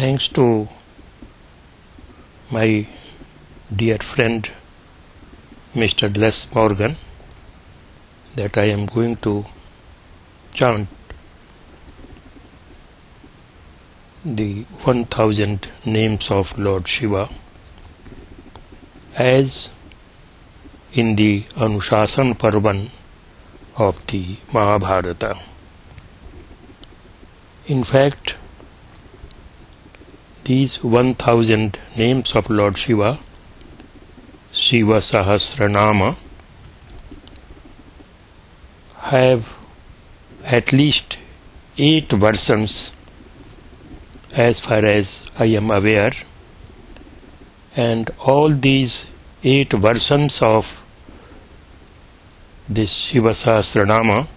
Thanks to my dear friend Mr. Les Morgan that I am going to chant the 1000 names of Lord Shiva as in the Anushasan Parvan of the Mahabharata. In fact, these 1000 names of Lord Shiva, Shiva Sahasranama, have at least 8 versions as far as I am aware, and all these 8 versions of this Shiva Sahasranama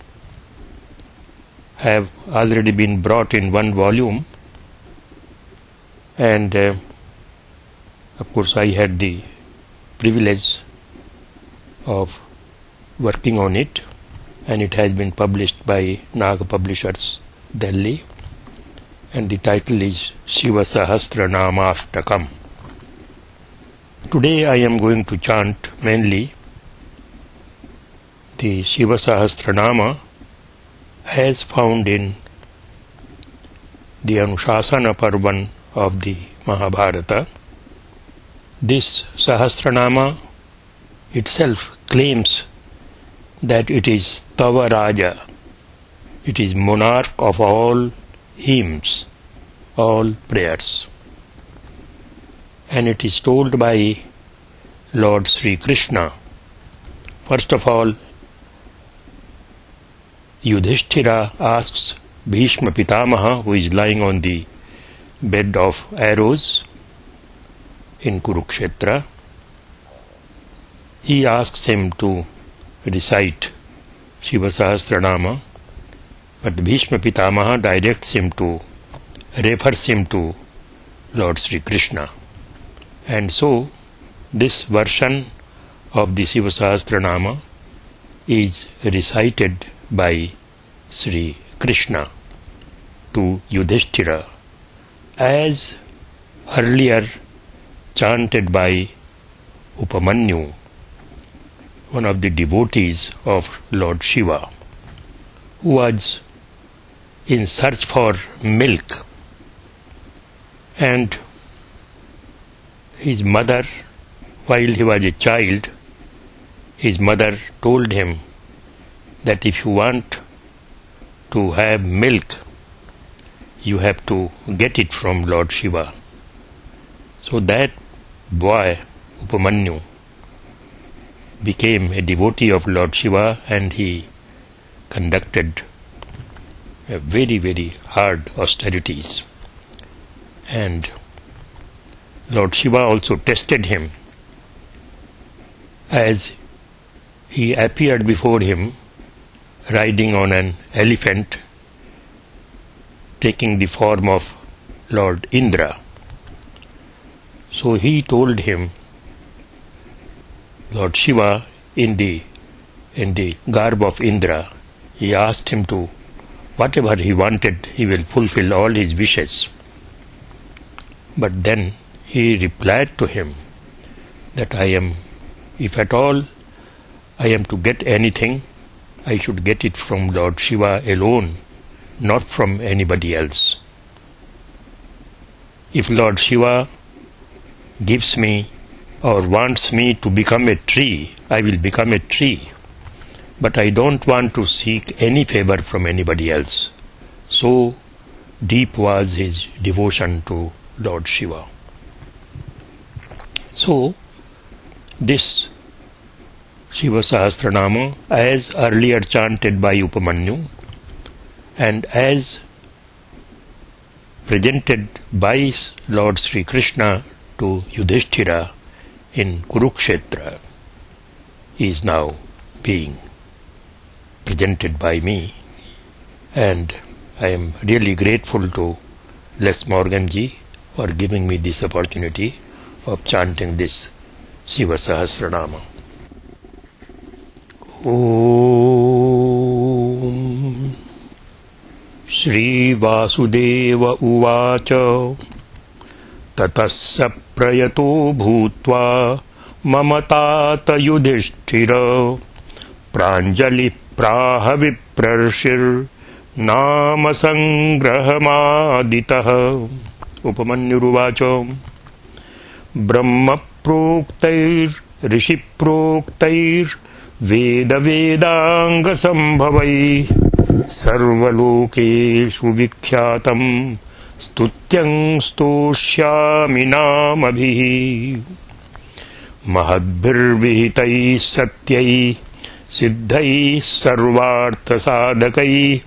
have already been brought in one volume, and of course I had the privilege of working on it, and it has been published by Nag Publishers, Delhi, and the title is Shiva Sahasranamashtakam. Today I am going to chant mainly the Shiva Sahasranama as found in the Anushasana Parvan of the Mahabharata. This Sahasranama itself claims that it is Tava Raja, it is monarch of all hymns, all prayers. And it is told by Lord Sri Krishna. First of all, Yudhishthira asks Bhishma Pitamaha, who is lying on the bed of arrows in Kurukshetra, he asks him to recite Shiva Sahasranama, but Bhishma Pitamaha refers him to Lord Sri Krishna. And so this version of the Shiva Sahasranama is recited by Sri Krishna to Yudhishthira, as earlier chanted by Upamanyu, one of the devotees of Lord Shiva, who was in search for milk, and his mother, while he was a child, his mother told him that if you want to have milk, you have to get it from Lord Shiva. So that boy, Upamanyu, became a devotee of Lord Shiva, and he conducted a very, very hard austerities. And Lord Shiva also tested him, as he appeared before him riding on an elephant, taking the form of Lord Indra. So he told him, Lord Shiva, in the garb of Indra, he asked him to, whatever he wanted, he will fulfill all his wishes. But then he replied to him that if at all I am to get anything, I should get it from Lord Shiva alone, not from anybody else. If Lord Shiva gives me or wants me to become a tree, I will become a tree. But I don't want to seek any favor from anybody else. So deep was his devotion to Lord Shiva. So this Shiva Sahasranama, as earlier chanted by Upamanyu and as presented by Lord Sri Krishna to Yudhishthira in Kurukshetra, is now being presented by me, and I am really grateful to Les Morgan ji for giving me this opportunity of chanting this Shiva Sahasranama. Om Shri Vasudeva Uvacha ततः स प्रयतो भूत्वा मम तात युधिष्ठिर प्राञ्जलिः प्राह विप्रर्षिर्नाम संग्रहमादितः। उपमन्युरुवाच ब्रह्मप्रोक्तैर्ऋषिप्रोक्तैर्वेदवेदाङ्गसम्भवैः सर्वलोकेषु विख्यातं स्तुत्यं स्तोष्यामि नामभिः। महद्भिर्विहितैः सत्यैः सिद्धैः सर्वार्थसाधकैः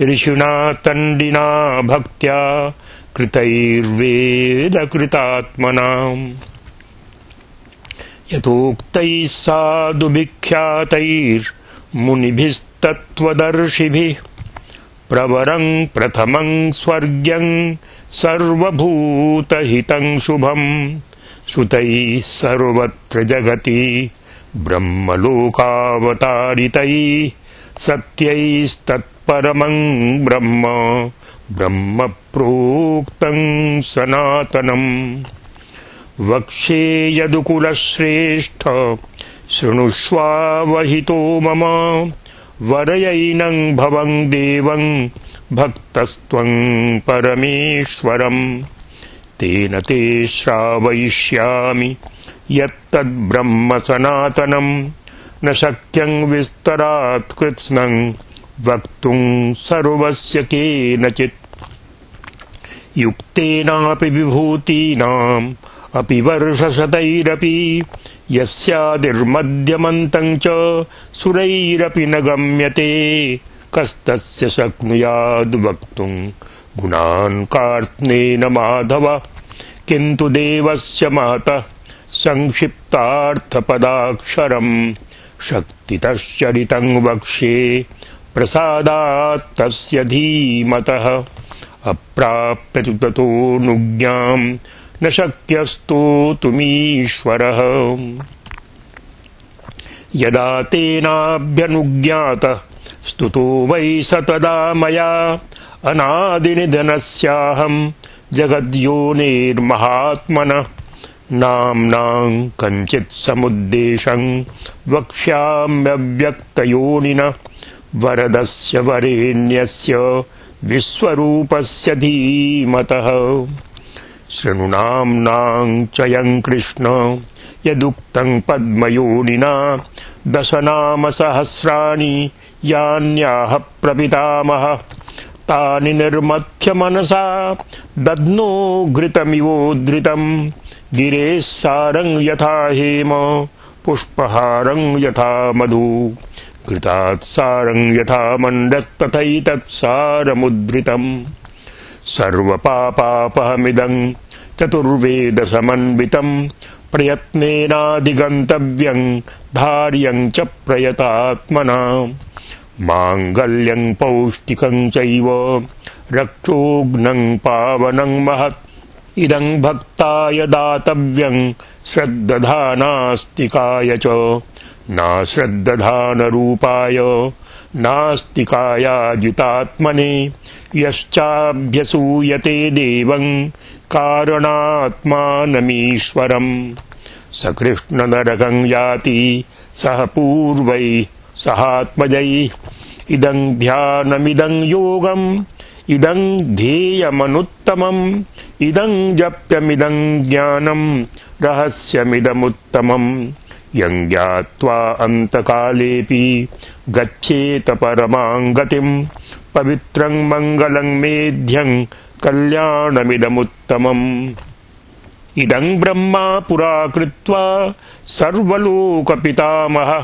ऋषिणा तण्डिना भक्त्या कृतैर्वेदकृतात्मनाम् यथोक्तैः साधुविख्यातैर्मुनिभिस्तत्त्वदर्शिभिः प्रवरं प्रथमं स्वर्ग्यं सर्वभूतहितं शुभं श्रुतैः सर्वत्र जगति ब्रह्मलोकावतारितैः सत्यैस्तत्परमं ब्रह्म ब्रह्मप्रोक्तं सनातनम्। वक्ष्ये यदुकुलश्रेष्ठ शृणुष्वावहितो मम वरयैनं भवं देवं भक्तस्त्वं परमेश्वरम्। तेन ते श्रावयिष्यामि यत्तद्ब्रह्म सनातनं न शक्यं विस्तरात् कृत्स्नं वक्तुं सर्वस्य केनचित्। युक्तेनापि विभूतीनाम् अपि वर्षशतैरपि यस्यादिर्मध्यमन्तं च सुरैरपि न गम्यते कस्तस्य शक्नुयाद् वक्तुं गुणान् कार्त्स्नेन माधव। किन्तु देवस्य महतः संक्षिप्तार्थपदाक्षरम् शक्तितश्चरितं वक्ष्ये प्रसादात् तस्य धीमतः। अप्राप्य तु ततोऽनुज्ञां न शक्यस्तोतुमीश्वरः। यदा तेनाभ्यनुज्ञातः स्तुतो वै स तदा मया अनादिनिधनस्याहं जगद्योनेर्महात्मनः। नाम्नां कञ्चित् समुद्देशं वक्ष्याम्यव्यक्तयोनिनः वरदस्य वरेण्यस्य विश्वरूपस्य धीमतः। शृणु नाम्नां चयं कृष्ण यदुक्तं पद्मयोनिना दशनामसहस्राणि यान्याह प्रपितामहः। तानि निर्मथ्य मनसा दध्नो घृतमिवोद्धृतं गिरेः सारं यथा हेम पुष्पहारं यथा मधु घृतात् सारं यथा मण्डत् तथैतत्सारमुद्धृतम्। सर्वपापापहमिदं चतुर्वेदसमन्वितं प्रयत्नेनाधिगन्तव्यं धार्यं च प्रयतात्मना। माङ्गल्यं पौष्टिकं चैव रक्षोघ्नं पावनं महत् इदं भक्ताय दातव्यं श्रद्दधानास्तिकाय च। नाश्रद्दधानरूपाय नास्तिकायाजितात्मने यश्चाभ्यसूयते देवं कारणात्मानमीश्वरम्। स कृष्णनरकं याति सह पूर्वैः सहात्मजैः। इदं ध्यानमिदं योगम् इदं ध्येयमनुत्तमम् इदं जप्यमिदं ज्ञानं रहस्यमिदमुत्तमम्। यं ज्ञात्वा अन्तकालेऽपि गच्छेत परमां गतिं पवित्रं मङ्गलं मेध्यं कल्याणमिदमुत्तमम्। इदं ब्रह्मा पुरा कृत्वा सर्वलोकपितामहः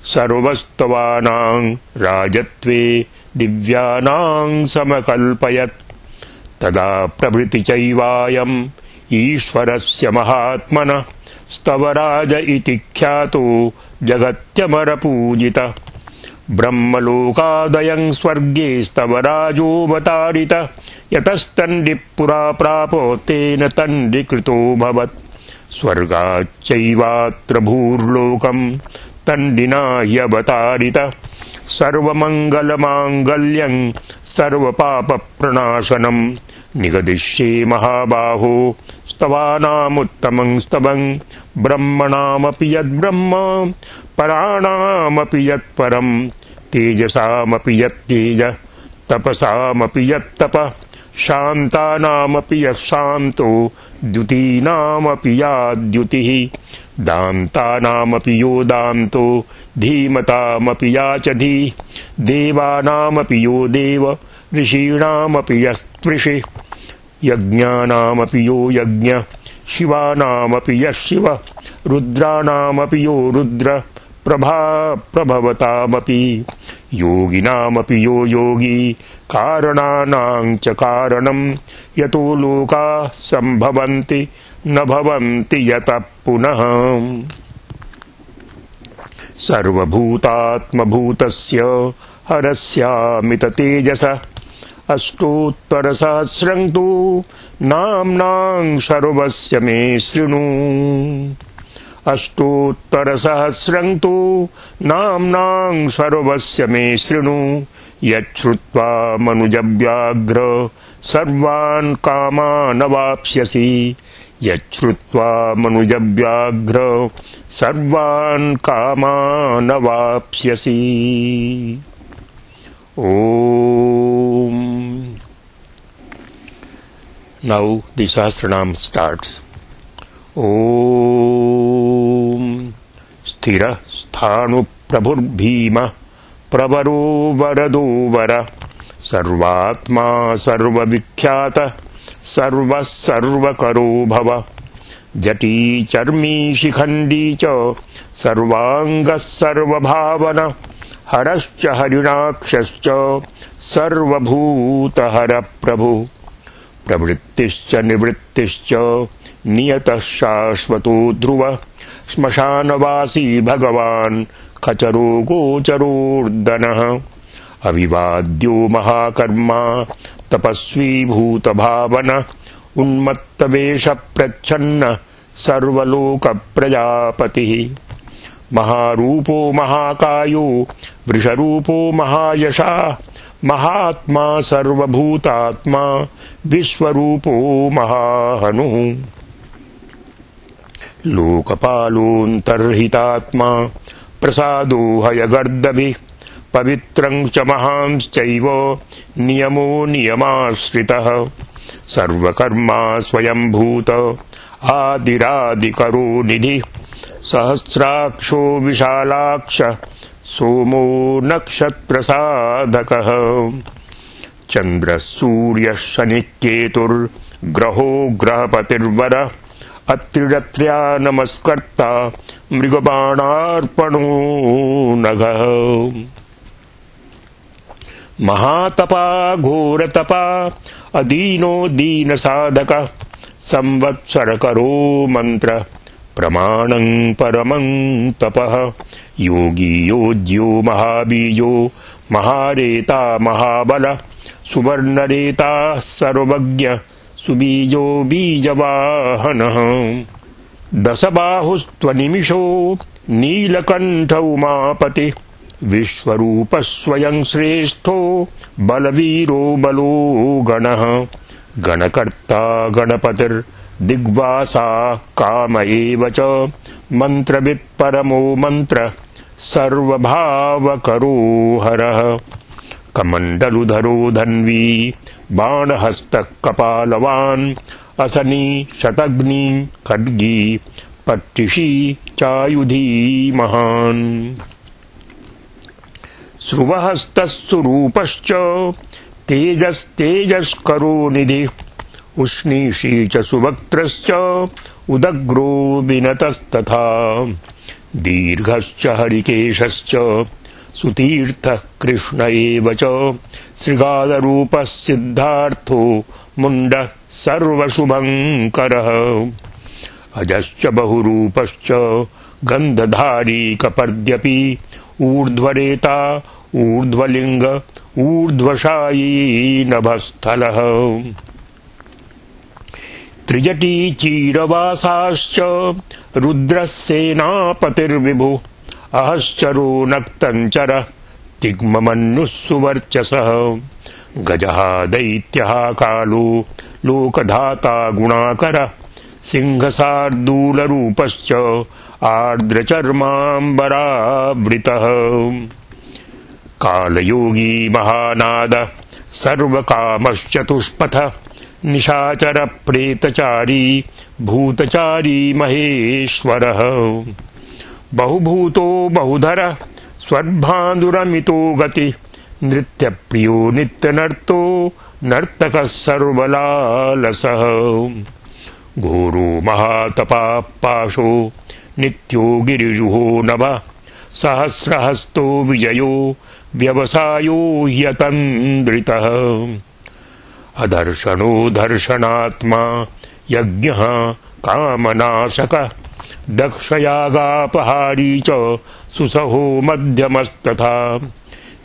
सर्वस्तवानां राजत्वे दिव्यानां समकल्पयत्। तदा प्रभृति चैवायम् ईश्वरस्य महात्मनः स्तवराज इति ख्यातो जगत्यमरपूजितः। ब्रह्मलोकादयं स्वर्गे स्तवराजोऽवतारितः। यतस्तण्डिः पुरा प्रापो तेन तण्डिकृतोऽभवत्। स्वर्गाच्चैवात्र भूर्लोकं तण्डिना ह्यवतारितः। सर्वमङ्गलमाङ्गल्यं सर्वपापप्रणाशनं निगदिष्ये महाबाहो स्तवानामुत्तमं स्तवं ब्रह्मणामपि यद्ब्रह्म पराणामपि यत्परं तेजसामपि यत्तेज तपसामपि यत्तप शान्तानामपि यशान्तो द्युतीनामपि या द्युतिः दान्तानामपि यो दान्तो धीमतामपि या च धीः देवानामपि यो देव ऋषीणामपि यस्त्विषि यज्ञानामपि यो यज्ञ शिवानामपि यः शिव रुद्राणामपि यो रुद्र प्रभवतामपि योगिनामपि यो योगी कारणानां च कारणं यतो लोकाः सम्भवन्ति न भवन्ति यतः पुनः सर्वभूतात्मभूतस्य हरस्यामित तेजस अष्टोत्तरसहस्रं तु नाम्नां सर्वस्य मे शृणु अष्टोत्तरसहस्रं तु नाम्नां सर्वस्य मे शृणु यच्छ्रुत्वा मनुजव्याघ्र सर्वान् कामानवाप्स्यसि यच्छ्रुत्वा मनुजव्याघ्र सर्वान् कामानवाप्स्यसि Om. Now the Sahasranam starts. Om Sthira Sthanu Prabhur Bhima Pravaro Varado Vara Sarvatma Sarva Vikhyata Sarva Sarvakaro Bhava Jati Charmi Shikhandi Cha Sarvangas Sarva Bhavana हरश्च हरिणाक्षश्च सर्वभूतहर प्रभु प्रवृत्तिश्च निवृत्तिश्च नियतः शाश्वतो ध्रुव श्मशानवासी भगवान् खचरो गोचरोर्दनः अविवाद्यो महाकर्मा तपस्वी भूतभावन उन्मत्तवेष प्रच्छन्न सर्वलोकप्रजापतिः महारूपो महाकायो वृषरूपो महायशा महात्मा सर्वभूतात्मा विश्वरूपो महाहनुः लोकपालोऽन्तर्हितात्मा प्रसादो हयगर्दभिः पवित्रं च महांश्चैव नियमो नियमाश्रितः सर्वकर्मा स्वयंभूत आदिरादिकरो निधिः सहस्राक्षो विशालाक्ष सोमो नक्षत्रसाधकः चन्द्रः सूर्यः शनिः केतुर्ग्रहो ग्रहपतिर्वर अत्रिरत्र्या नमस्कर्ता मृगबाणार्पणो नघः महातपा घोरतपा अदीनो दीनसाधकः संवत्सरकरो मंत्र प्रमाणं परमं तपः योगी योज्यो महाबीजो महारेता महाबल सुवर्णरेता सर्वज्ञ सुबीजो बीजवाहनः दशबाहुस्त्वनिमिषो नीलकण्ठ उमापति विश्वरूपः स्वयं श्रेष्ठो बलवीरो बलो गणः गणकर्ता गणपतिर्दिग्वासा काम एव च मन्त्रवित् परमो मन्त्र सर्वभावकरो हरः कमण्डलुधरो धन्वी बाणहस्तः कपालवान् असनी शतग्नी खड्गी पट्टिषी चायुधी महान् श्रुवहस्तः सुरूपश्च तेजस्तेजस्करो निधिः उष्णीषी च सुवक्त्रश्च उदग्रो विनतस्तथा दीर्घश्च हरिकेशश्च सुतीर्थः कृष्ण एव च श्रृगालरूपः सिद्धार्थो मुण्डः सर्वशुभङ्करः अजश्च बहुरूपश्च गन्धधारी कपर्द्यपि ऊर्ध्वरेता ऊर्ध्वलिङ्ग ऊर्ध्वशायी नभस्थलः त्रिजटी चीरवासाश्च रुद्रः सेनापतिर्विभुः अहश्चरो नक्तञ्चर तिग्ममन्युः सुवर्चसः गजः दैत्यः कालो लोकधाता गुणाकर सिंहशार्दूलरूपश्च आर्द्रचर्माम्बरावृतः कालयोगी महानाद सर्वकामश्चतुष्पथ निशाचर प्रेतचारी भूतचारी महेश्वरः बहुभूतो बहुधर स्वद्भानुरमितो गति नृत्यप्रियो नित्यनर्तो नर्तकः सर्वलालसः घोरो महातपापाशो नित्यो गिरिजुहो नभ सहस्रहस्तो विजयो व्यवसायो ह्यतन्द्रितः अदर्शनो दर्शनात्मा यज्ञः कामनाशक दक्षयागापहारी च सुसहो मध्यमस्तथा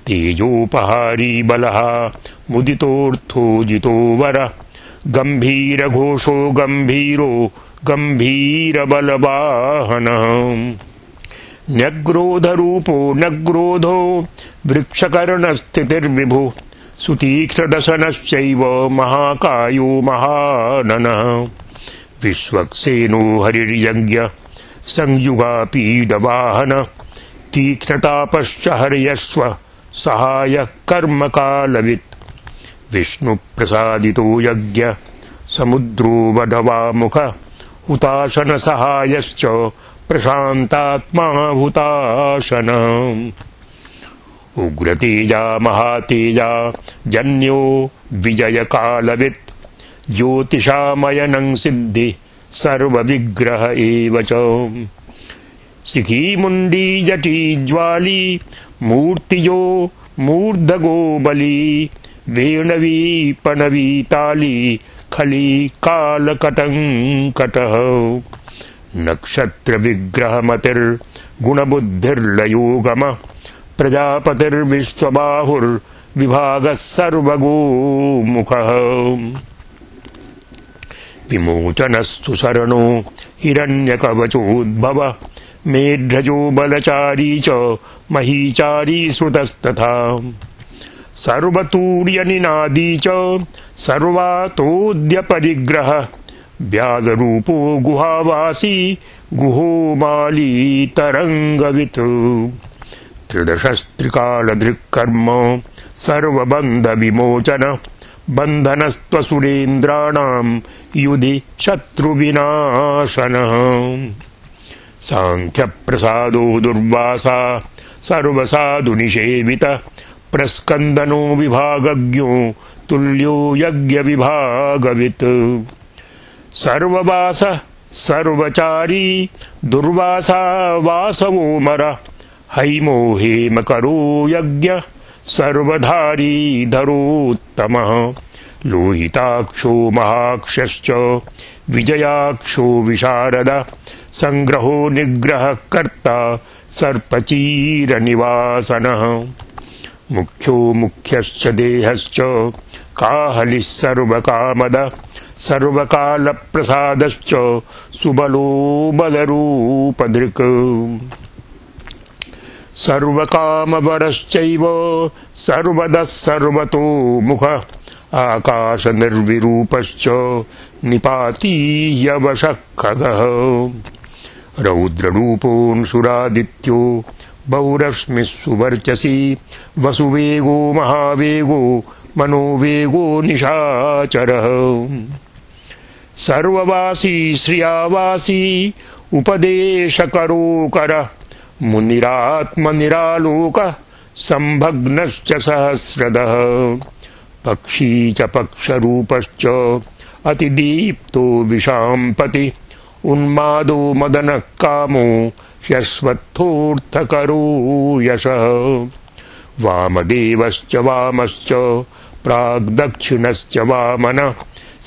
तेजोपहारी बलः मुदितोऽर्थो जितो वर गम्भीरघोषो गम्भीरो गम्भीरबलवाहनः न्यग्रोधरूपो न्यग्रोधो वृक्षकर्णस्थितिर्विभु सुतीक्ष्णदशनश्चैव महाकायो महाननः विश्वक्सेनो हरिर्यज्ञ संयुगापीडवाहन तीक्ष्णतापश्च हर्यश्व सहायः कर्मकालवित् विष्णुप्रसादितो यज्ञ समुद्रो वडवामुख हुताशनसहायश्च प्रशान्तात्मा हुताशन उग्रतेजा महातेजा जन्यो विजयकालवित् ज्योतिषामयनं सिद्धि सर्वविग्रह एव च शिखीमुण्डी जटी ज्वाली मूर्तियो मूर्धगो बली वेणवी पणवी ताली खली कालकटङ्कटः नक्षत्रविग्रहमतिर्गुणबुद्धिर्लयोगम प्रजापतिर्विश्वबाहुर्विभागः सर्वगोमुखः विमोचनस्तु शरणो हिरण्यकवचोद्भव मेढ्रजो बलचारी च महीचारी श्रुतस्तथा सर्वतूर्यनिनादी च सर्वातोद्यपरिग्रह व्याघ्रूपो गुहावासी गुहो माली तरंगवित् त्रिदशस्त्रिकालदृक्कर्म सर्वबन्धविमोचन बन्धनस्त्वसुरेन्द्राणां युधि शत्रुविनाशनः सांख्यप्रसादो दुर्वासा सर्वसाधुनिषेवित प्रस्कन्दनो विभागज्ञो तुल्यो यज्ञविभागवित् सर्ववास सर्वचारी दुर्वासा वासवोमर हैमो हेमकरो यज्ञ सर्वधारी धरोत्तमः लोहिताक्षो महाक्षश्च विजयाक्षो विशारद संग्रहो निग्रह कर्ता सर्पचीरनिवासनः मुख्यो मुख्यश्च देहश्च काहलिः सर्वकामद सर्वकालप्रसादश्च सुबलो बलरूपधृक् सर्वकामवरश्चैव सर्वदः सर्वतोमुख आकाशनिर्विरूपश्च निपातीयवशः खगः रौद्ररूपोऽंशुरादित्यो बहुरश्मिः सुवर्चसी वसुवेगो महावेगो मनोवेगो निशाचरः सर्ववासी श्रियावासी उपदेशकरोकर मुनिरात्मनिरालोक संभग्नश्च सहस्रदः पक्षी च पक्षरूपश्च अतिदीप्तो विशाम्पति उन्मादो मदनः कामो ह्यश्वत्थोऽर्थकरो यशः वामदेवश्च वामश्च प्राग्दक्षिणश्च वामन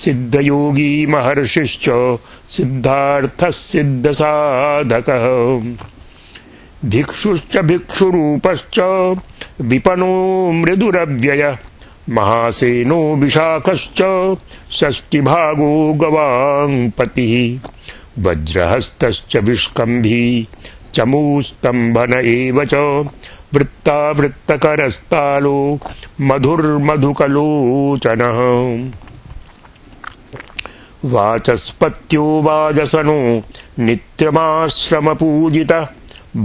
सिद्धयोगी महर्षिश्च सिद्धार्थः सिद्धसाधकः भिक्षुश्च भिक्षुरूपश्च विपनो मृदुरव्यय महासेनो विशाखश्च षष्टिभागो गवाङ्पतिः वज्रहस्तश्च विष्कम्भी चमूस्तम्भन एव च वृत्तावृत्तकरस्तालो मधुर्मधुकलोचनः वाचस्पत्यो वाजसनो नित्यमाश्रमपूजितः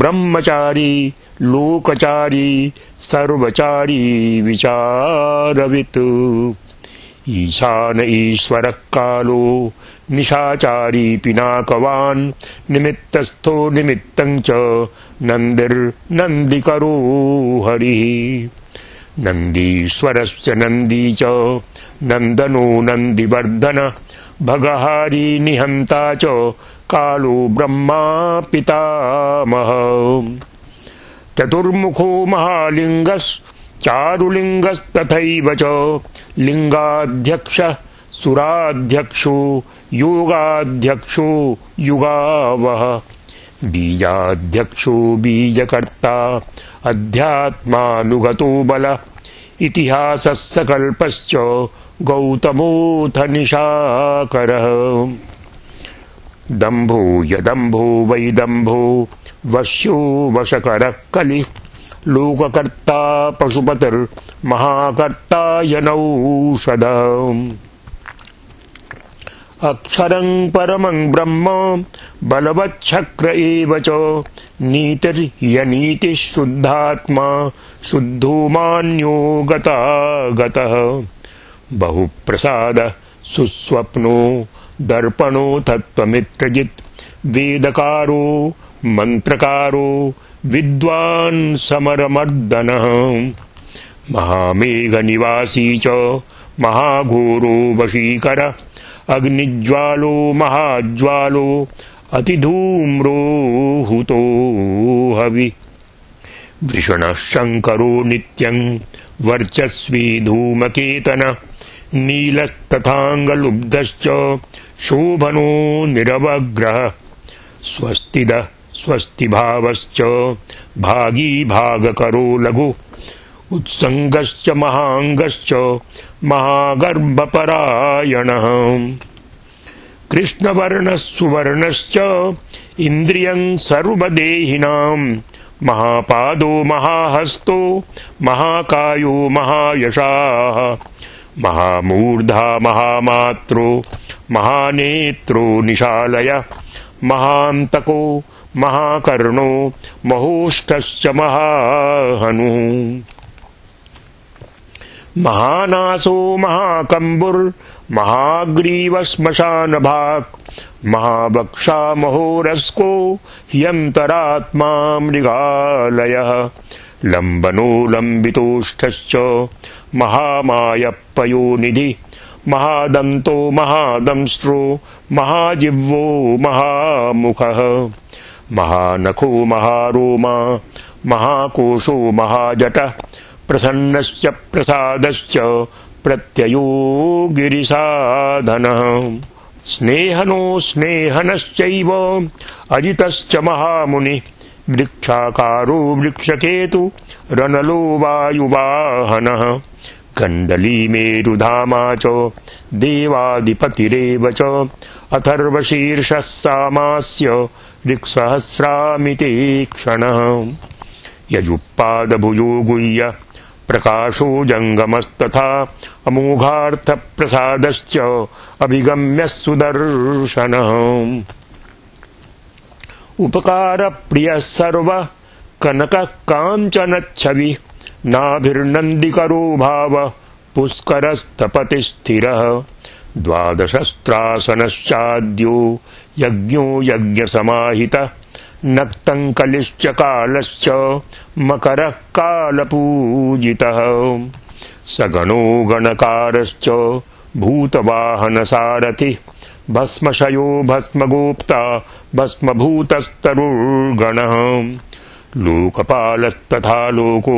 ब्रह्मचारी लोकचारी सर्वचारी विचारवित् ईशान ईश्वरः कालो निशाचारी पिनाकवान् निमित्तस्थो निमित्तं च नन्दिर्नन्दिकरो हरिः नन्दीश्वरश्च नन्दी च नन्दनो नन्दिवर्धन भगहारी निहन्ता च कालो ब्रह्मा पितामहः चतुर्मुखो महालिङ्गश्चारुलिङ्गस्तथैव च लिङ्गाध्यक्षः सुराध्यक्षो योगाध्यक्षो युगावः बीजाध्यक्षो बीजकर्ता अध्यात्मानुगतो बल इतिहासः सकल्पश्च गौतमोऽथ निशाकरः दम्भो यदम्भो वैदम्भो वश्यो वशकरः कलिः लोककर्ता पशुपतिर्महाकर्ता यनौषधः अक्षरं परमं ब्रह्म बलवच्छक्र एव च नीतिर्यनीतिः शुद्धात्मा शुद्धो मान्यो गतागतः बहुप्रसाद सुस्वप्नो दर्पणो तत्त्वमित्रजित् वेदकारो मन्त्रकारो विद्वान् समरमर्दनः महामेघनिवासी च महाघोरो वशीकर अग्निज्वालो महाज्वालो अतिधूम्रो हुतो हवि वृषणः शङ्करो नित्यं वर्चस्वी धूमकेतन नीलस्तथाङ्गलुब्धश्च शोभनो निरवग्रह स्वस्तिदः स्वस्तिभावश्च भागी भागकरो लघु उत्सङ्गश्च महाङ्गश्च महागर्भपरायणः कृष्णवर्णः सुवर्णश्च इन्द्रियं सर्वदेहिनां महापादो महाहस्तो महाकायो महायशाः महामूर्धा महामात्रो महानेत्रो निशालय महान्तको महाकर्णो महोष्ठश्च महाहनुः महानासो महाकम्बुर्महाग्रीवश्मशानभाक् महावक्षा महोरस्को ह्यन्तरात्मा मृगालयः लम्बनो लम्बितोष्ठश्च महामायप्पयोनिधि महादन्तो महादंष्ट्रो महाजिह्वो महामुखः महानखो महारोमा महाकोशो महाजटः प्रसन्नश्च प्रसादश्च प्रत्ययो गिरिसाधनः स्नेहनो स्नेहनश्चैव अजितश्च महामुनि वृक्षाकारो वृक्षकेतु रनलो वायुवाहनः कण्डली मेरुधामा च देवाधिपतिरेव च अथर्वशीर्षः सामास्य ऋक्सहस्रामिते क्षणः यजुप्पादभुजो गुह्य प्रकाशो जङ्गमस्तथा अमोघार्थप्रसादश्च अभिगम्य सुदर्शनः उपकारप्रियः सर्वः कनकः काञ्चनच्छविः नाभिर्नन्दिकरो भावः पुष्करस्थपतिस्थिरः द्वादशस्त्रासनश्चाद्यो यज्ञो यज्ञसमाहितः नक्तं कलिश्च कालश्च मकरः कालपूजितः सगणो गणकारश्च भूतवाहनसारथिः भस्मशयो भस्मगोप्ता भस्मभूतस्तरुर्गणः लोकपालस्तथा लोको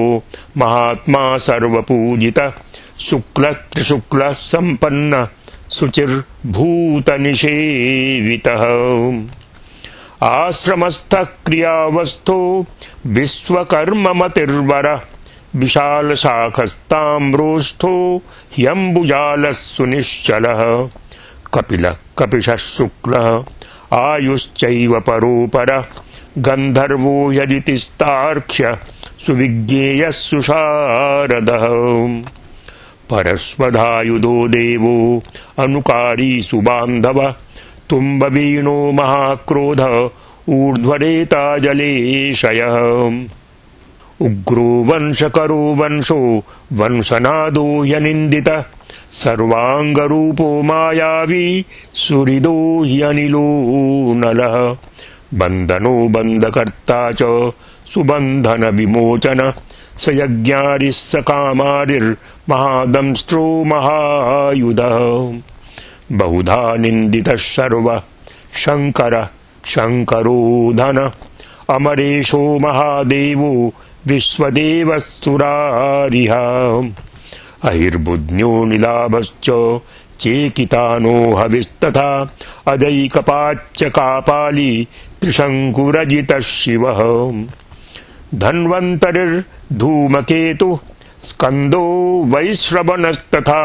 महात्मा सर्वपूजितः शुक्लः त्रिशुक्लः सम्पन्नः शुचिर्भूतनिषेवितः आश्रमस्थः क्रियावस्थो विश्वकर्ममतिर्वरः विशालशाखस्ताम्रोष्ठो ह्यम्बुजालः सुनिश्चलः कपिलः कपिशः शुक्लः आयुश्चैव परोपरः गन्धर्वो यजितिस्तार्क्ष्य सुविज्ञेयः सुशारदः परस्वधायुधो देवो अनुकारी सुबान्धव तुम्बवीणो महाक्रोध ऊर्ध्वरेता जलेशयः उग्रो वंशकरो वंशो वंशनादो ह्यनिन्दितः सर्वाङ्गरूपो मायावी सुहृदो ह्यनिलो नलः बन्धनो बन्धकर्ता च सुबन्धन विमोचन स यज्ञारिः स कामारिर्महादंष्ट्रो महायुधः बहुधा निन्दितः सर्वः शङ्करः शङ्करोधन अमरेशो महादेवो विश्वदेवस्तुरारिः अहिर्बुध्न्यो निलाभश्च चेकितानो हविस्तथा अदैकपाच्च कापाली त्रिशङ्कुरजितः शिवः धन्वन्तरिर्धूमकेतुः स्कन्दो वैश्रवणस्तथा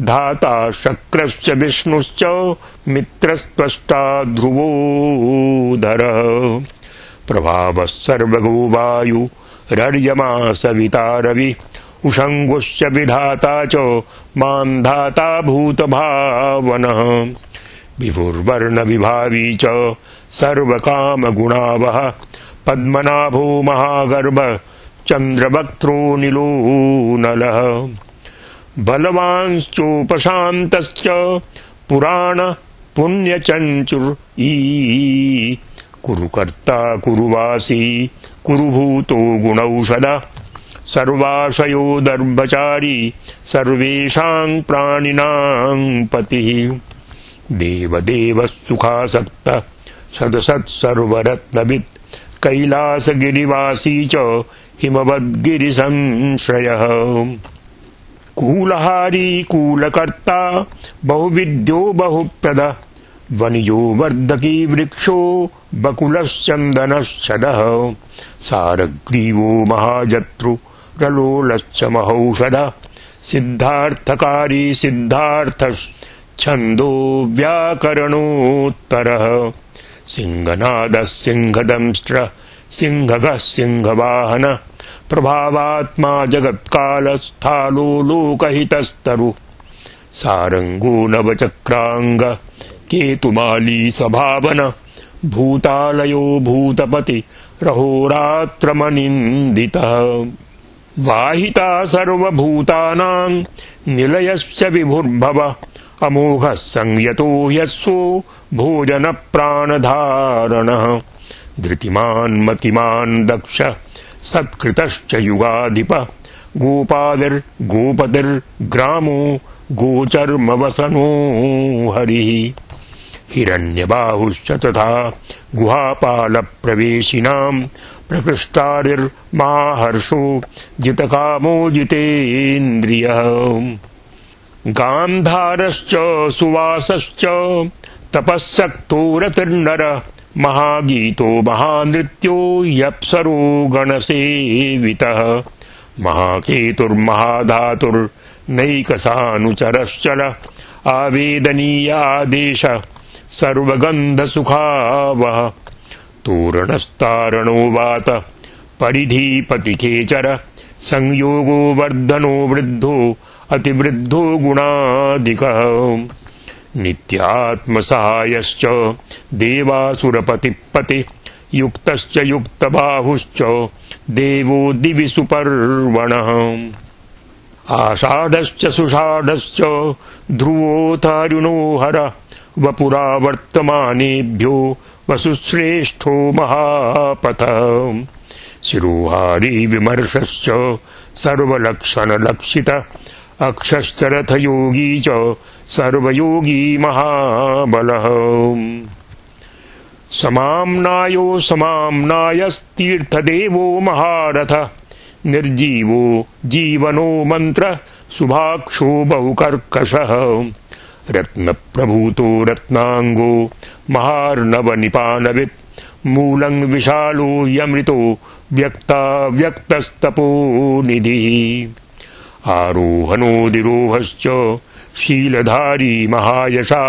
धाता शक्रश्च विष्णुश्च मित्रस्त्वष्टा ध्रुवोधरः प्रभावः सर्वगो वायुरर्यमा सविता रवि उषङ्गुश्च विधाता च मान्धाता भूतभावनः विभुर्वर्णविभावी च सर्वकामगुणावः पद्मनाभो महागर्भ चन्द्रवक्त्रो नीलो नलः बलवांश्चोपशान्तश्च पुराण पुण्यचञ्चुर्ई कुरुकर्ता कुरुवासी कुरुभूतो गुणौषध सर्वाशयो दर्भचारी सर्वेषां प्राणिनां पतिः देवदेवः सुखासक्तः सदसत्सर्वरत्नवित् कैलासगिरिवासी च हिमवद्गिरिसंश्रयः कूलहारी कूलकर्ता बहुविद्यो बहुप्रदः वनियो वर्धकी वृक्षो बकुलश्चन्दनश्छदः सारग्रीवो महाजत्रुरलोलश्च महौषधः सिद्धार्थकारी सिद्धार्थश्छन्दो व्याकरणोत्तरः सिंहनादः सिंहदंष्ट्र सिंहगः सिंहवाहन प्रभावात्मा जगत्कालस्थालो लोकहितस्तरु सारंगो नवचक्रांग केतुमाली सभावन भूतालयो भूतपति रहोरात्रमनिन्दितः वाहिता सर्वभूतानां निलयश्च विभुर्भव अमोघः संयतो यस्वो भोजन प्राणधारणः धृतिमान् मतिमान् दक्ष सत्कृतश्च युगाधिप गोपादिर्गोपतिर्ग्रामो गोचर्मवसनो हरिः हिरण्यबाहुश्च तथा गुहापालप्रवेशिनां प्रकृष्टारिर्माहर्षो जितकामो जितेन्द्रियः गान्धारश्च सुवासश्च तपःसक्तो रतिर्नर महागीतो महानृत्यो यप्सरो गणसेवितः महाकेतुर्महाधातुर्नैकसानुचरश्चल आवेदनीयादेश सर्वगन्धसुखावः तोरणस्तारणो वात परिधिपतिखेचर संयोगो वर्धनो वृद्धो अतिवृद्धो गुणाधिकः नित्यात्मसहायश्च देवासुरपतिपति युक्तश्च युक्तबाहुश्च देवो दिवि सुपर्वणः आषाढश्च सुषाढश्च ध्रुवोऽथारुणो हर वपुरावर्तमानेभ्यो वसुश्रेष्ठो महापथः शिरोहारी विमर्शश्च सर्वलक्षणलक्षित अक्षश्च रथयोगी च सर्वयोगी महाबलः समाम्नायो समाम्नायस्तीर्थदेवो महारथ निर्जीवो जीवनो मंत्र सुभाक्षो बहुकर्कशः रत्नप्रभूतो रत्नांगो महार्णवनिपानवित् मूलं विशालो यमृतो व्यक्ताव्यक्तस्तपोनिधिः आरोहणोदिरोहश्च शीलधारी महायशा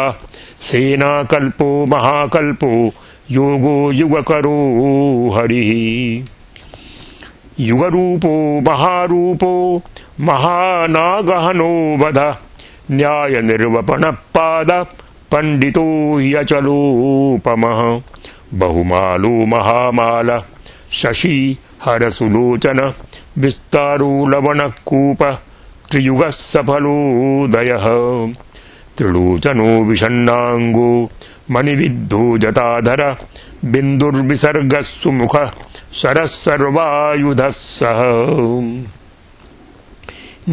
सेनाकल्पो महाकल्पो योगो युगकरो हरिः युगरूपो महारूपो महानागहनो वध न्यायनिर्वपणपाद पण्डितो ह्यचलोपमः बहुमालो महामाल शशि हरसुलोचन विस्तारो लवणकूप त्रियुगः सफलोदयः त्रिलोचनो विषण्णाङ्गो मणिविद्धो जटाधर बिन्दुर्विसर्गः सुमुख शरः सर्वायुधः सह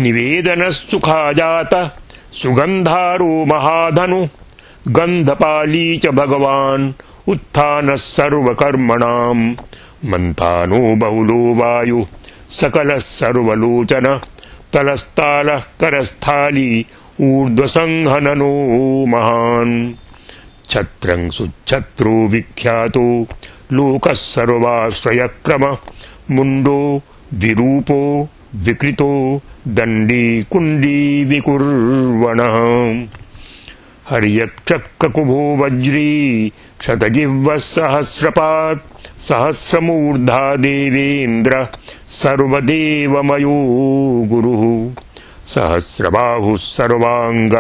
निवेदनस्सुखाजात सुगन्धारो महाधनु गन्धपाली च भगवान् उत्थानः सर्वकर्मणाम् मन्थानो बहुलो वायु सकलः सर्वलोचन तलस्तालः करस्थाली ऊर्ध्वसंहननो महान् छत्रं सुच्छत्रो विख्यातो लोकः सर्वाश्रयक्रम मुण्डो विरूपो विकृतो दण्डी कुण्डी विकुर्वणः हर्यक्षककुभो वज्री क्षतजिह्वः सहस्रपात् सहस्रमूर्धा देवेन्द्र सर्वदेवमयो गुरुः सहस्रबाहुः सर्वाङ्ग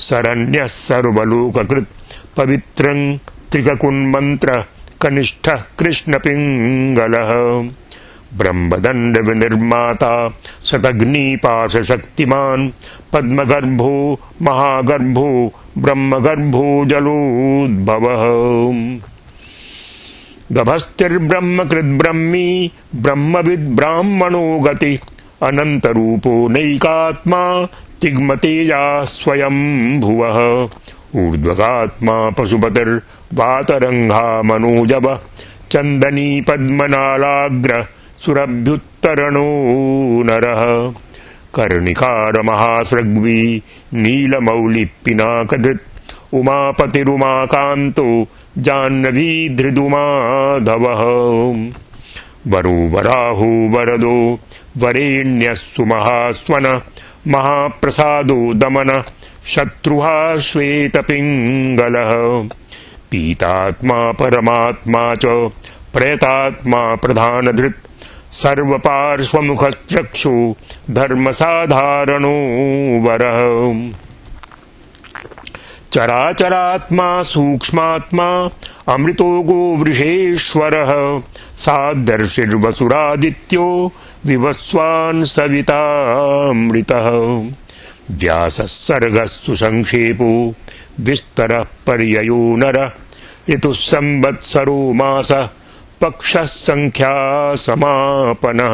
शरण्यः सर्वलोककृत् पवित्रं त्रिककुन्मन्त्र कनिष्ठः कृष्णपिङ्गलः ब्रह्मदण्डविनिर्माता शतग्निपाशशक्तिमान् पद्मगर्भो महागर्भो ब्रह्मगर्भो जलोद्भवः गभस्तिर्ब्रह्मकृद्ब्रह्मी ब्रह्मविद्ब्राह्मणो गति अनन्तरूपो नैकात्मा तिग्मतेजा स्वयं भुवः ऊर्ध्वगात्मा पशुपतिर्वातरङ्घा मनोजव चन्दनी पद्मनालाग्र सुरभ्युत्तरणो नरः कर्णिकार महासृग्वी नीलमौलिपिनाकधृत् उमापतिरुमाकान्तो जाह्नवी धृदुमाधवः वरो वराहो वरदो वरेण्यः सुमहास्वन महाप्रसादो दमन शत्रुहा श्वेतपिङ्गलः पीतात्मा परमात्मा च प्रयतात्मा प्रधानधृत् सर्वपार्श्वमुखचक्षु धर्मसाधारणो वरः चराचरात्मा सूक्ष्मात्मा अमृतो गोवृषेश्वरः सादर्शिर्वसुरादित्यो विवस्वान् सवितामृतः व्यासः सर्गः सुसंक्षेपो विस्तरः पर्ययो नर ऋतुः संवत्सरो मासः पक्षः संख्या समापनः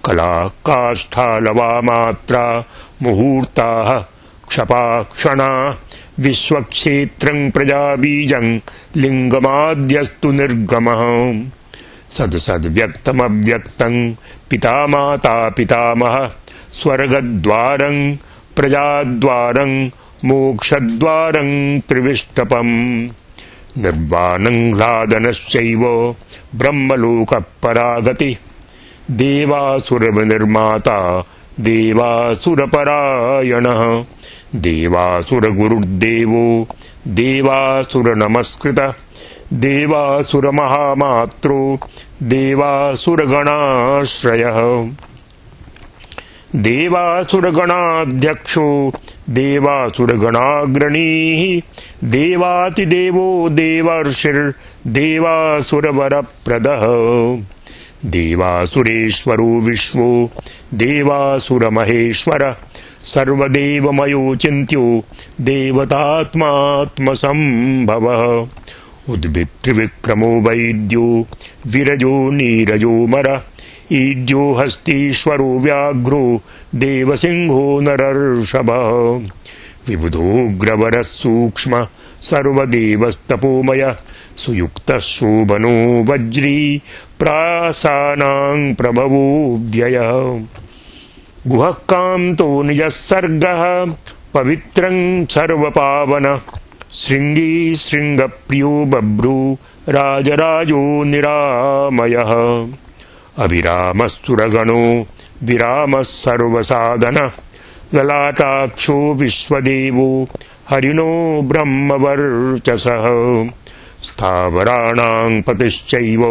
कला काष्ठालवामात्रा मुहूर्ताः क्षपाक्षणा विश्वक्षेत्रं प्रजाबीजं लिङ्गमाद्यस्तु निर्गमः सदसद्व्यक्तमव्यक्तं पिता माता पितामह स्वर्गद्वारं प्रजाद्वारं मोक्षद्वारं त्रिविष्टपम् निर्वाणं ह्लादनश्चैव ब्रह्मलोकपरागति देवासुरविनिर्माता देवासुरपरायणः देवासुरगुरुर्देवो देवासुरनमस्कृतः देवासुरमहामात्रो देवासुरगणाश्रयः देवासुरगणाध्यक्षो देवासुरगणाग्रणीः देवातिदेवो देवर्षिर्देवासुरवरप्रदः देवासुरेश्वरो विश्वो देवासुरमहेश्वर सर्वदेवमयो चिन्त्यो देवतात्मात्मसम्भवः उद्भित्रिविक्रमो वैद्यो विरजो नीरजो मर ईड्यो हस्तीश्वरो व्याघ्रो देवसिंहो नरर्षभः विबुधोऽग्रवरः सूक्ष्म सर्वदेवस्तपोमय सुयुक्तः शोभनो वज्री प्रासानां प्रभवो व्ययः गुहः कान्तो निजः सर्गः पवित्रं सर्वपावन शृङ्गी शृङ्गप्रियो बभ्रू राजराजो निरामयः अभिरामः सुरगणो विरामः सर्वसाधन ललाटाक्षो विश्वदेवो हरिणो ब्रह्मवर्चसः स्थावराणां पतिश्चैव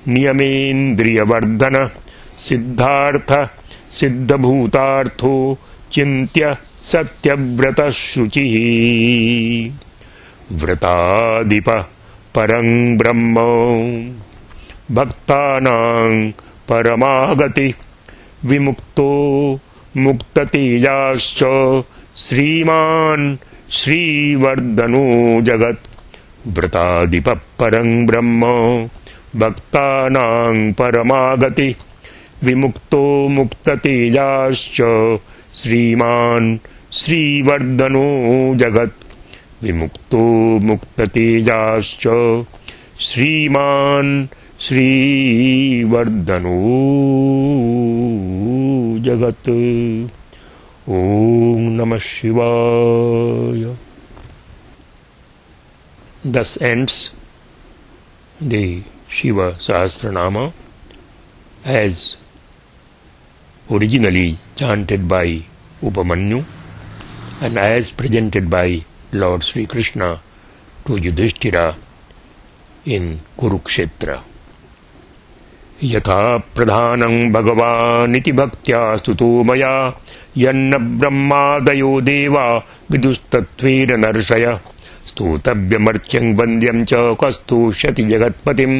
नियमेन्द्रियवर्धन सिद्धार्थ सिद्धभूतार्थो चिन्त्य सत्यव्रतः शुचिः व्रताधिप परं ब्रह्म भक्तानां परमागति विमुक्तो मुक्ततेजाश्च श्रीमान् श्रीवर्धनो जगत् व्रताधिप परं ब्रह्म भक्तानां परमागति विमुक्तो मुक्ततेजाश्च श्रीमान् श्रीवर्धनो जगत् विमुक्तो मुक्ततेजाश्च श्रीमान् श्रीवर्धनो जगत्। ॐ नमः शिवाय। Thus ends the Shiva Sahasranama as originally chanted by Upamanyu and as presented by Lord Sri Krishna to Yudhishthira in Kurukshetra. यथा प्रधानं भगवानिति भक्त्या स्तुतो मया यन्न ब्रह्मादयो देवा विदुस्तत्त्वेन नर्षय स्तोतव्यमर्च्यं वन्द्यं च कस्तुष्यति जगत्पतिं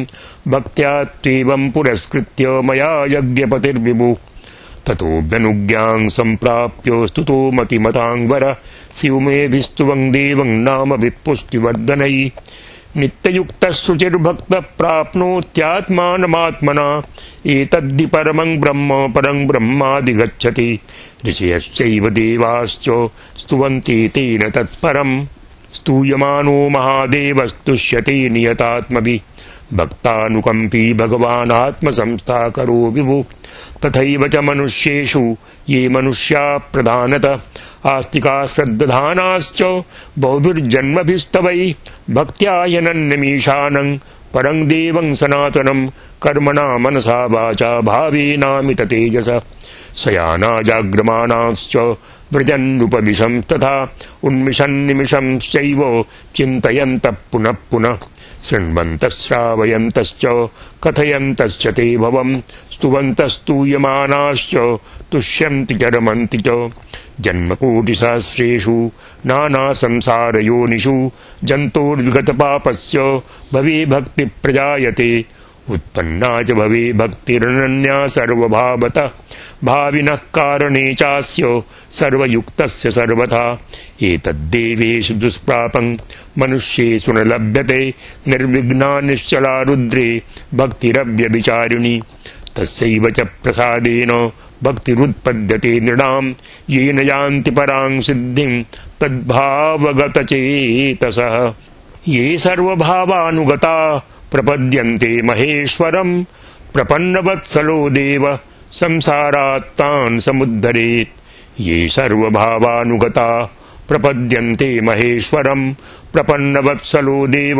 भक्त्या त्वेवं पुरस्कृत्य मया यज्ञपतिर्विभु ततोऽभ्यनुज्ञां सम्प्राप्य स्तुतो मतिमताङ्वर शिवमेभिस्तुवं देवं नाम विपुष्टिवर्धनै नित्ययुक्तः शुचिर्भक्तः प्राप्नोत्यात्मानमात्मना एतद्धि परमं ब्रह्मादिगच्छति ऋषयश्चैव देवाश्च स्तुवन्ति तेन तत्परम् स्तूयमानो महादेवस्तुष्यते नियतात्मभिः भक्तानुकम्पी भगवान् आत्मसंस्थाकरो विभु तथैव च मनुष्येषु ये मनुष्या प्रधानतः आस्तिका श्रद्धानाश्च बहुभिर्जन्मभिस्तवै भक्त्या यनन्यमीशानं परं देवं सनातनं कर्मणा मनसा वाचा भावेनामित तेजसा शयाना जाग्रमाणाश्च व्रजन्नुपविशं तथा उन्मिषन्निमिषंश्चैव चिन्तयन्तः पुनः पुनः शृण्वन्तः श्रावयन्तश्च कथयन्तश्च ते भवं स्तुवन्तस्तूयमानाश्च तुष्यन्ति च रमन्ति च जन्मकोटिसहस्रेषु नानासंसारयोनिषु जन्तोर्विगतपापस्य भवे भक्ति प्रजायते उत्पन्ना च भवे भक्तिरनन्या सर्वभावतः भाविनः कारणे चास्य सर्वयुक्तस्य सर्वथा एतद्देवेषु दुष्प्रापं मनुष्येषु न लभ्यते निर्विघ्ना निश्चला रुद्रे भक्तिरव्यभिचारिणी तस्यैव च प्रसादेन भक्तिरुत्पद्यते नृणां येन यान्ति परां सिद्धिं तद्भावगतचेतसः ये सर्वभावानुगता प्रपद्यन्ते महेश्वरं प्रपन्नवत्सलो देव संसारात्तान् समुद्धरेत् ये सर्वभावानुगता प्रपद्यन्ते महेश्वरं प्रपन्नवत्सलो देव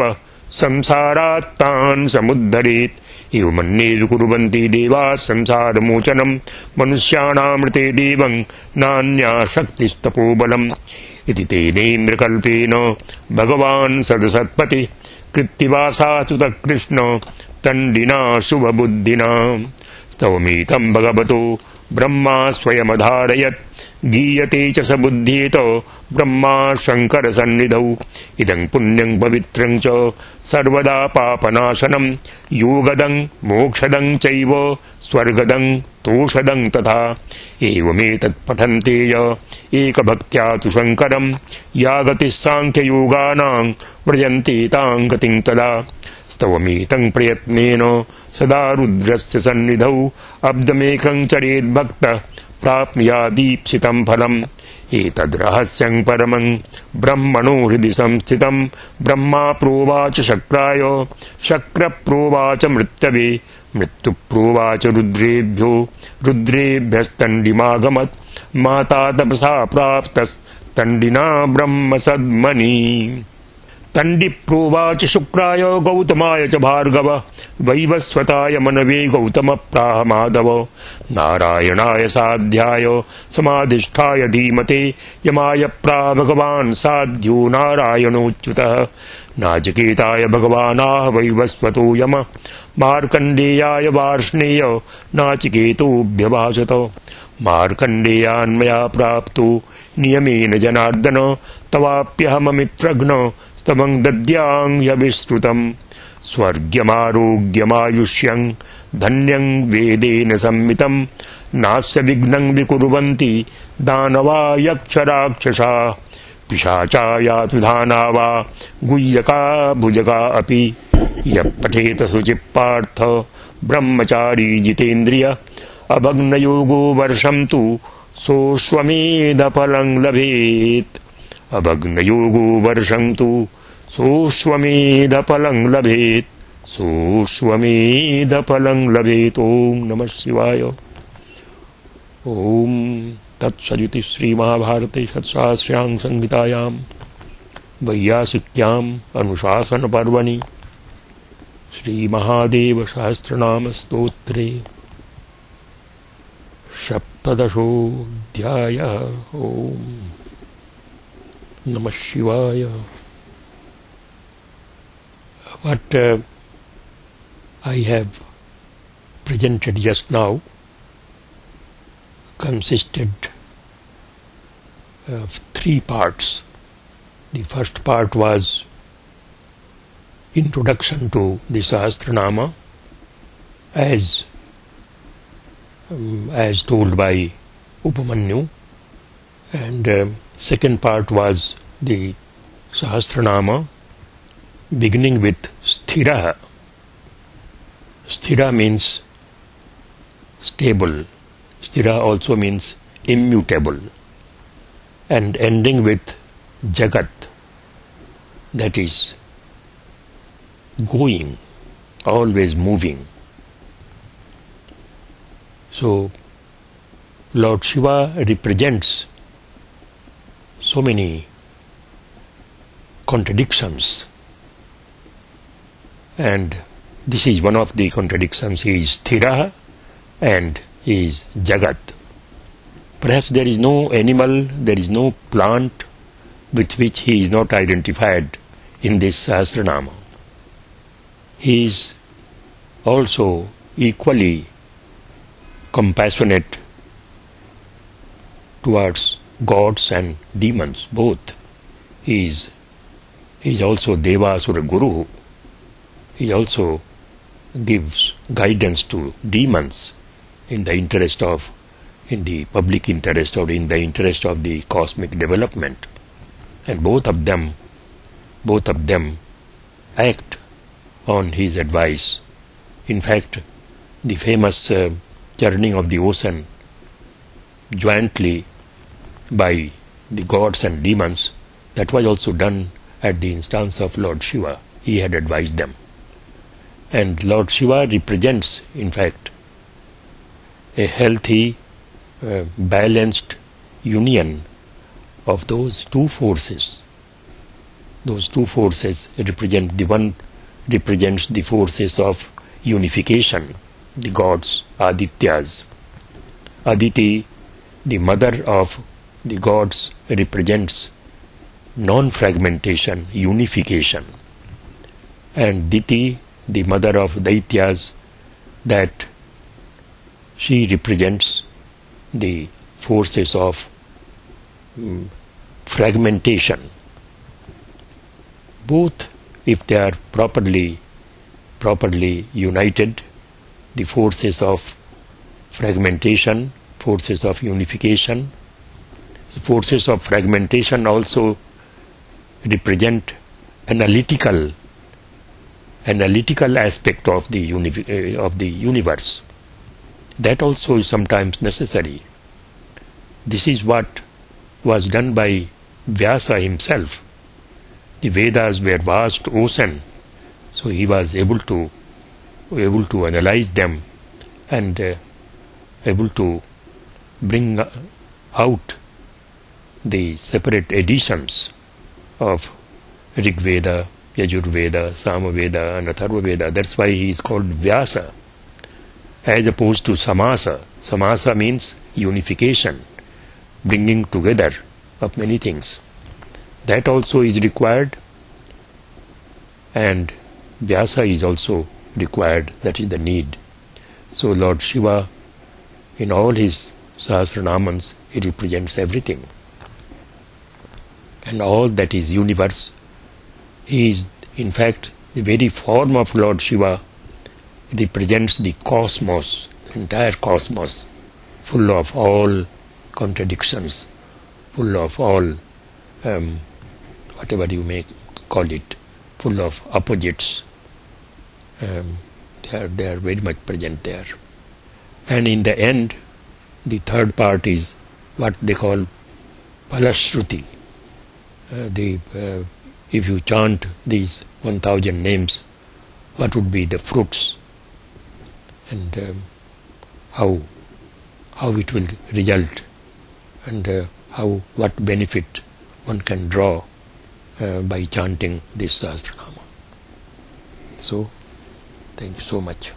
संसारात्तान् समुद्धरेत् एवमन्ये कुर्वन्ति देवाः संसारमोचनं मनुष्याणामृते देवं नान्या शक्तिस्तपोबलम् इति तेनेन्द्रकल्पेन भगवान् सदसत्पति कृत्तिवासाच्युतः कृष्ण तण्डिना शुभबुद्धिना स्तवमेतं भगवतो ब्रह्मा स्वयमधारयत् गीयते च स बुद्ध्येत ब्रह्मा शङ्कर सन्निधौ इदं पुण्यं पवित्रं च सर्वदा पापनाशनं योगदं मोक्षदं चैव स्वर्गदं तोषदं तथा एवमेतत् पठन्ते य एकभक्त्या तु शङ्करं या गतिः साङ्ख्ययोगानां व्रजन्ते तां गतिं तदा स्तवमेतं प्रयत्नेन सदा रुद्रस्य सन्निधौ अब्दमेकं चरेद्भक्तः प्राप्नुयादीप्सितं फलम् एतद्रहस्यं परमं ब्रह्मणो हृदि संस्थितं ब्रह्मा प्रोवाच शक्राय शक्र प्रोवाच मृत्यवे मृत्यु प्रोवाच रुद्रेभ्यस्तण्डिमागमत् माता तपसा प्राप्तस्तण्डिना ब्रह्म सद्मनि तण्डिप्रोवाच शुक्राय गौतमाय च भार्गव वैवस्वताय मनवे गौतम प्राह माधव नारायणाय साध्याय समाधिष्ठाय धीमते यमाय प्राह भगवान् साध्यो नारायणोच्युतः नाचिकेताय भगवानाह वैवस्वतो यम मार्कण्डेयाय वार्ष्णेय नाचिकेतोऽभ्यभाषत मार्कण्डेयान्मया प्राप्तो नियमेन जनार्दन तवाप्यहममित्रघ्न स्तवं दद्याङ् स्वर्ग्यमारोग्यमायुष्यं धन्यं वेदेन संमितं नास्य विघ्नं विकुर्वन्ति दानवा यक्षराक्षसा पिशाचा यातुधाना वा गुह्यका भुजगा अपि यः पठेत शुचिपार्थ ब्रह्मचारी जितेन्द्रिय अभग्नयोगो वर्षं तु सोऽश्वमेधफलं लभेत् अभग्नयोगो वर्षं तु सोऽश्वमेधफलं लभेत् सोऽश्वमेधफलं लभेत्। ओम नमः शिवाय। ओम तत्सदिति श्रीमहाभारते षट्शास्त्रां संहितायां वैयासिक्याम् अनुशासनपर्वणि श्रीमहादेव सहस्रनाम स्तोत्रे सप्तदशोऽध्यायः। ओम नमः शिवाय। What I have presented just now consisted of 3 parts. The first part was introduction to the Sahasranama as told by Upamanyu, and second part was the Sahasranama beginning with Sthira. Sthira means stable. Sthira also means immutable. And ending with Jagat, that is going, always moving. So Lord Shiva represents so many contradictions, and this is one of the contradictions. He is Sthira and he is Jagat. Perhaps there is no animal, there is no plant with which he is not identified in this Sahasranama. He is also equally compassionate towards gods and demons, both. He is also Deva Asura Guru. He also gives guidance to demons in the public interest or in the interest of the cosmic development. And both of them act on his advice. In fact, the famous churning of the ocean jointly by the gods and demons, that was also done at the instance of Lord Shiva. He had advised them. And Lord Shiva represents, in fact, a healthy, balanced union of those two forces. Those two forces represent, the one represents the forces of unification, the gods, Adityas. Aditi, the mother of the gods, represents non-fragmentation, unification. And Diti, the mother of Daityas, that she represents the forces of fragmentation. Both, if they are properly united, the forces of fragmentation, forces of unification. Forces of fragmentation also represent analytical aspect of the universe. That also is sometimes necessary. This is what was done by Vyasa himself. The Vedas were vast ocean, so he was able to analyze them and able to bring out the separate editions of Rig Veda, Yajur Veda, Samaveda and Atharva Veda. That's why he is called Vyasa, as opposed to Samasa. Samasa means unification, bringing together of many things. That also is required, and Vyasa is also required. That is the need. So Lord Shiva, in all his Sahasranamams, he represents everything. And all that is universe, he is in fact the very form of Lord Shiva represents the cosmos, entire cosmos, full of all contradictions, full of all, whatever you may call it, full of opposites. They are very much present there. And in the end, the third part is what they call Palashruti. If you chant these 1000 names, what would be the fruits, and how it will result, and what benefit one can draw by chanting this Sahasranama. So, thank you so much.